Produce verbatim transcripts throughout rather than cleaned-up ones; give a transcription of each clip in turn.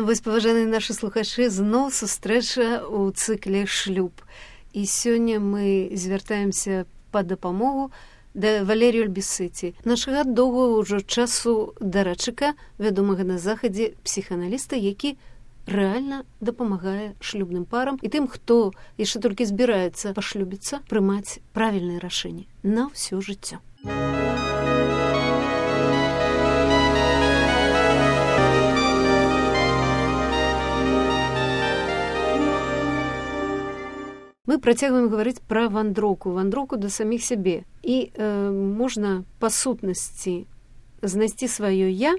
Ну вось, паважаныя нашы слухачы, зноў сустрэча ў цыкле «Шлюб». І сёння мы звяртаемся па дапамогу да Валерію Альбісыці, нашага доўгага ўжо часу дарадчыка, вядомага на захадзе псіхааналіста, які рэальна дапамагае шлюбным парам і тым, хто яшчэ толькі збіраецца пашлюбіцца, прымаць правільныя рашэнні на ўсё жыццё. Мы працягваем гаварыць пра вандроўку, вандроўку да саміх сябе. І э, можна па сутнасці знайсці сваё «я»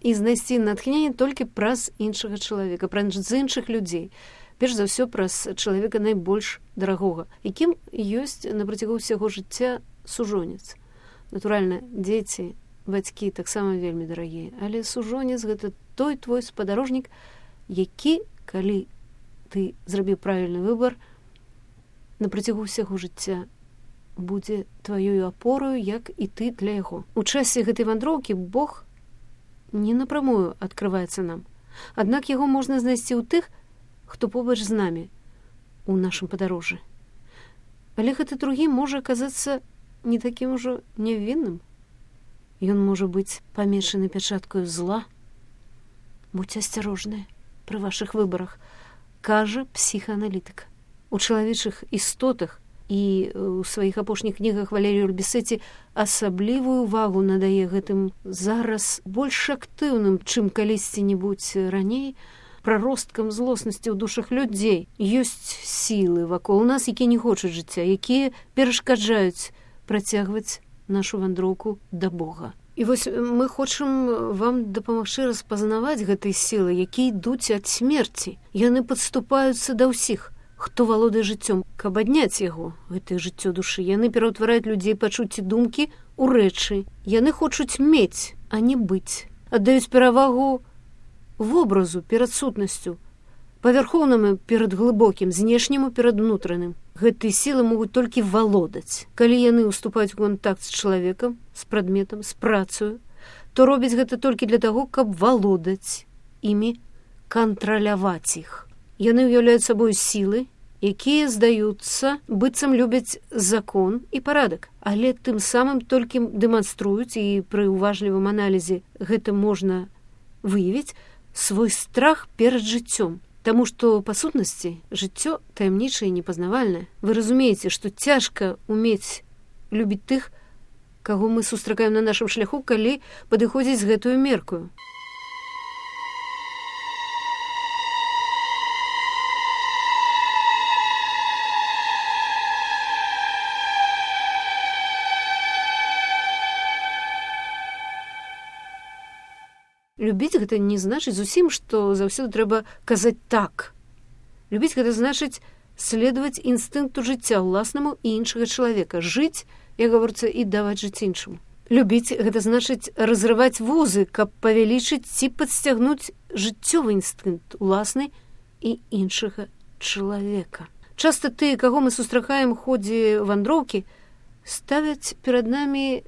і знайсці натхненне толькі праз іншага чалавека, праз іншых людзей. Перш за ўсё праз чалавека найбольш дарагога, якім ёсць на працягу ўсяго жыцця сужонец. Натуральна, дзеці, бацькі таксама вельмі дарагія, але сужонец — гэта той твой спадарожнік, які, калі ты зрабіў правільны выбар, на працягу ўсяго жыцця будзе тваёю апораю, як і ты для яго. У часе гэтай вандроўкі Бог не напрамую адкрываецца нам. Аднак яго можна знайсці ў тых, хто побач з намі у нашым падарожжы. Але гэты другі можа аказацца не такім ужо нявінным. Ён можа быць памешаны пячаткаю зла. Будзьце асцярожныя пры вашых выбарах, кажа псіхааналітык. У чалавечых істотах і ў сваіх апошніх кнігах Валерію Альбісыці асаблівую увагу надае гэтым зараз больш актыўным, чым калісьці-небудзь раней, праросткам злоснасці ў душах людзей. Ёсць сілы вакол нас, якія не хочуць жыцця, якія перашкаджаюць працягваць нашу вандроўку да Бога. І вось мы хочам вам дапамагчы распазнаваць гэтыя сілы, якія ідуць ад смерці. Яны падступаюцца да ўсіх, хто валодае жыццём, каб адняць яго, гэтае жыццё душы. Яны пераўтвараюць людзей пачуцці думкі ў рэчы. Яны хочуць мець, а не быць. Аддаюць перавагу вобразу перад сутнасцю, павярхоўнаму перад глыбокім, знешняму перад унутраным. Гэтыя сілы могуць толькі валодаць. Калі яны ўступаюць у кантакт з чалавекам, з прадметам, з працаю, то робяць гэта толькі для таго, каб валодаць імі, кантраляваць іх. Яны ўяўляюць сабою сілы, якія здаюцца, быццам любяць закон і парадак, але тым самым толькі дэманструюць, і пры уважлівым аналізе гэта можна выявіць, свой страх перад жыццём. Таму што, па сутнасці, жыццё таямнічае і непазнавальнае. Вы разумееце, што цяжка умець любіць тых, каго мы сустракаем на нашым шляху, калі падыходзіць з гэтую меркаю. Любіць гэта не значыць зусім, што заўсёды трэба казаць так. Любіць гэта значыць следаваць інстынкту жыцця ўласнаму і іншага чалавека, жыць, як гаворыцца, і даваць жыць іншаму. Любіць гэта значыць разрываць вузы, каб павялічыць ці падсцягнуць жыццёвы інстынкт уласны і іншага чалавека. Часта тыя, каго мы сустракаем у ходзе вандроўкі, ставяць перад намі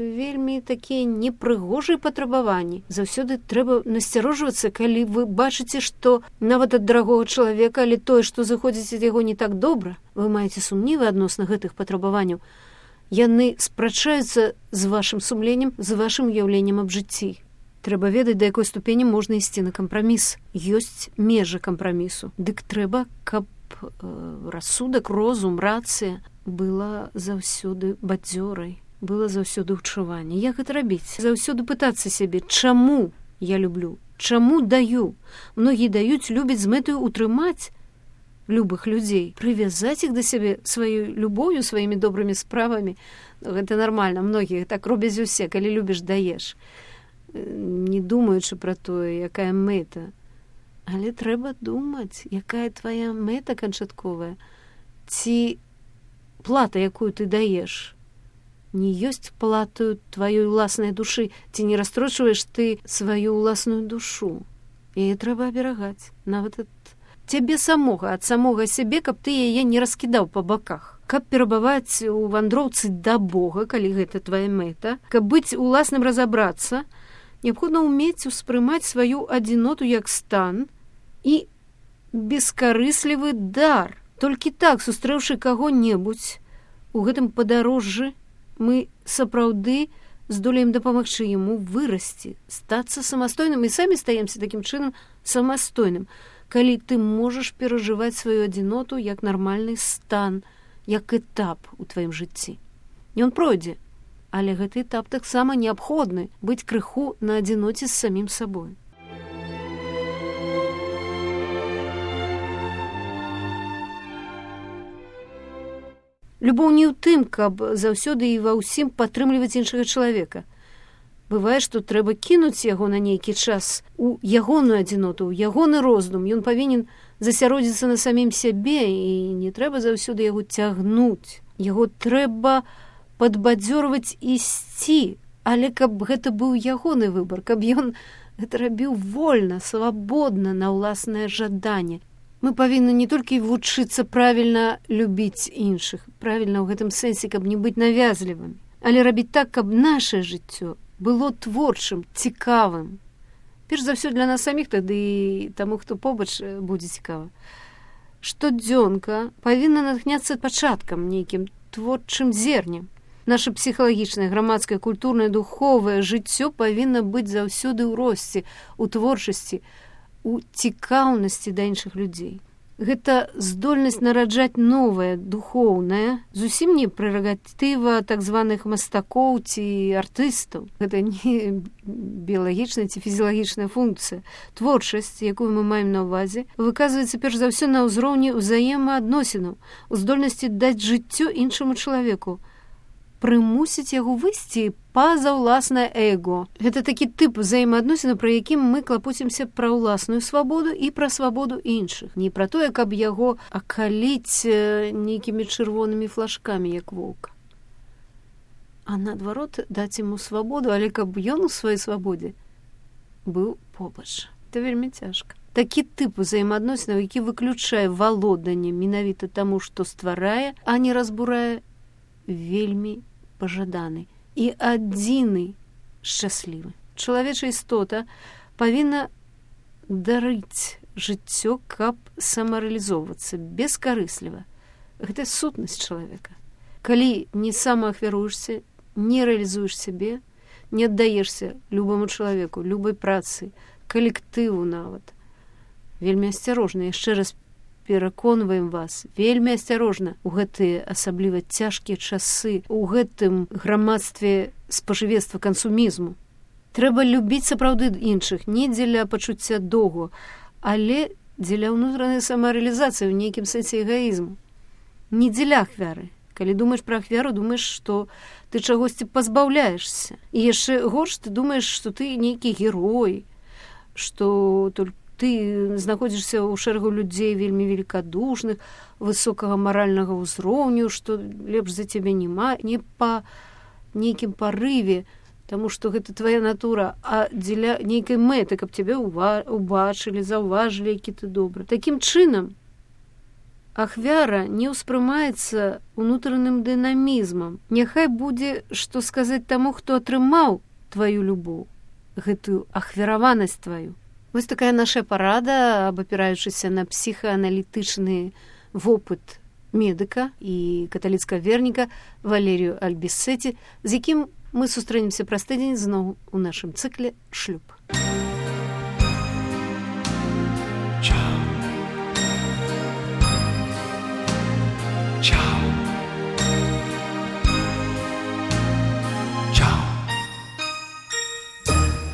вельмі такія непрыгожыя патрабаванні. Заўсёды трэба насцярожвацца, калі вы бачыце, што нават ад дарагога чалавека, але тое, што заходзіць ад яго не так добра, вы маеце сумнівы адносна гэтых патрабаванняў. Яны спрачаюцца з вашым сумленнем, з вашым уяўленнем аб жыцці. Трэба ведаць, да якой ступені можна ісці на кампраміс. Ёсць межы кампрамісу. Дык трэба, каб э, рассудак, розум, рацыя была заўсёды бадзёрай, было заўсёды ўчуванне. Як гэта рабіць? Заўсёды пытацца сябе, чаму я люблю, чаму даю. Многія даюць, любяць з мэтаю утрымаць любых людзей, прывязаць іх да сябе сваёй любоўю, сваімі добрымі справамі. Гэта нармальна, многія так робяць усе, калі любіш, даеш, не думаючы пра тое, якая мэта. Але трэба думаць, якая твая мэта канчатковая, ці плата, якую ты даеш, не ёсць платаю тваёй уласнай душы, ці не расстрочваеш ты сваю уласную душу. Яе трэба аберагаць, нават ад цябе самога, ад самога сябе, каб ты яе не раскідаў па баках. Каб перабываць у вандроўцы да Бога, калі гэта твая мэта, каб быць уласным разабрацца, Неабходна ўмець успрымаць сваю адзіноту як стан і бескарыслівы дар. Толькі так, сустрэўшы каго-небудзь у гэтым падарожжы, мы сапраўды здолеем дапамагчы яму вырасці, стацца самастойным і самі стаемся такім чынам самастойным, калі ты можаш перажываць сваю адзіноту як нармальны стан, як этап у тваім жыцці. Ён пройдзе, але гэты этап таксама неабходны быць крыху на адзіноце з самім сабой. Любоў не ў тым, каб заўсёды і ва ўсім падтрымліваць іншага чалавека. Бывае, што трэба кінуць яго на нейкі час у ягоную адзіноту, у ягоны роздум. Ён павінен засяродзіцца на самім сябе, і не трэба заўсёды яго цягнуць. Яго трэба падбадзёрваць ісці, але каб гэта быў ягоны выбар, каб ён гэта рабіў вольна, свабодна, на ўласнае жаданне. Мы павінны не толькі вучыцца правільна любіць іншых, правільна ў гэтым сэнсе, каб не быць навязлівым, але рабіць так, каб нашае жыццё было творчым, цікавым. Перш за ўсё для нас саміх, тады і таму, хто побач, будзе цікава. Штодзёнка павінна натхняцца пачаткам, нейкім творчым зернем. Наша псіхалагічнае, грамадскае, культурнае, духовае жыццё павінна быць заўсёды ў росце, у творчасці, у цікаўнасці да іншых людзей. Гэта здольнасць нараджаць новае, духоўнае, зусім не прэрагатыва так званых мастакоў ці артыстаў. Гэта не біялагічная ці фізіялагічная функцыя. Творчасць, якую мы маем на ўвазе, выказваецца перш за ўсё на ўзроўні ўзаемаадносінаў, у здольнасці даць жыццё іншаму чалавеку, прымусіць яго выйсці па-за ўласнае эго. Гэта такі тып взаемаадносінаў, пра якім мы клапоцімся пра ўласную свабоду і пра свабоду іншых. Не пра тое, каб яго акаліць нейкімі чырвонымі флажкамі, як воўка. А наадварот, даць яму свабоду, але каб ён у сваёй свабодзе быў побач. Гэта вельмі цяжка. Такі тып взаемаадносінаў, які выключае валоданне менавіта таму, што стварае, а не разбурае, вельмі пажаданы і адзіны шчаслівы. Чалавечая істота павінна дарыць жыццё, каб самарэалізоўвацца бескарысліва. Гэта сутнасць чалавека. Калі не самаахвяруешся, не рэалізуеш сябе, не аддаешся любому чалавеку, любой працы, калектыву нават. Вельмі асцярожна, яшчэ раз пераконваем вас, вельмі асцярожна у гэтыя асабліва цяжкія часы, у гэтым грамадстве спажывецтва кансумізму. Трэба любіць сапраўды іншых, не дзеля пачуцця доўгу, але дзеля ўнутранай самарэалізацыі ў нейкім сэнсе эгаізму. Не дзеля ахвяры. Калі думаеш пра ахвяру, думаеш, што ты чагосьці пазбаўляешся. І яшчэ горш, ты думаеш, што ты нейкі герой, што толькі ты знаходзішся ў шэрагу людзей вельмі великадушных, высокага маральнага ўзроўню, што лепш за цябе няма, не па нейкім парыве, таму што гэта твая натура, а дзеля нейкай мэты, каб цябе убачылі, заўважылі, які ты добры. Такім чынам, ахвяра не ўспрымаецца ўнутраным дынамізмам. Няхай будзе, што сказаць таму, хто атрымаў тваю любоў, гэтую ахвяраванасць тваю. Вось такая наша парада, абапіраючыся на псіхааналітычны вопыт медыка і каталіцкага верніка Валерію Альбіссеці, з якім мы сустрэнемся праз тыдзень зноў у нашым цыкле «Шлюб».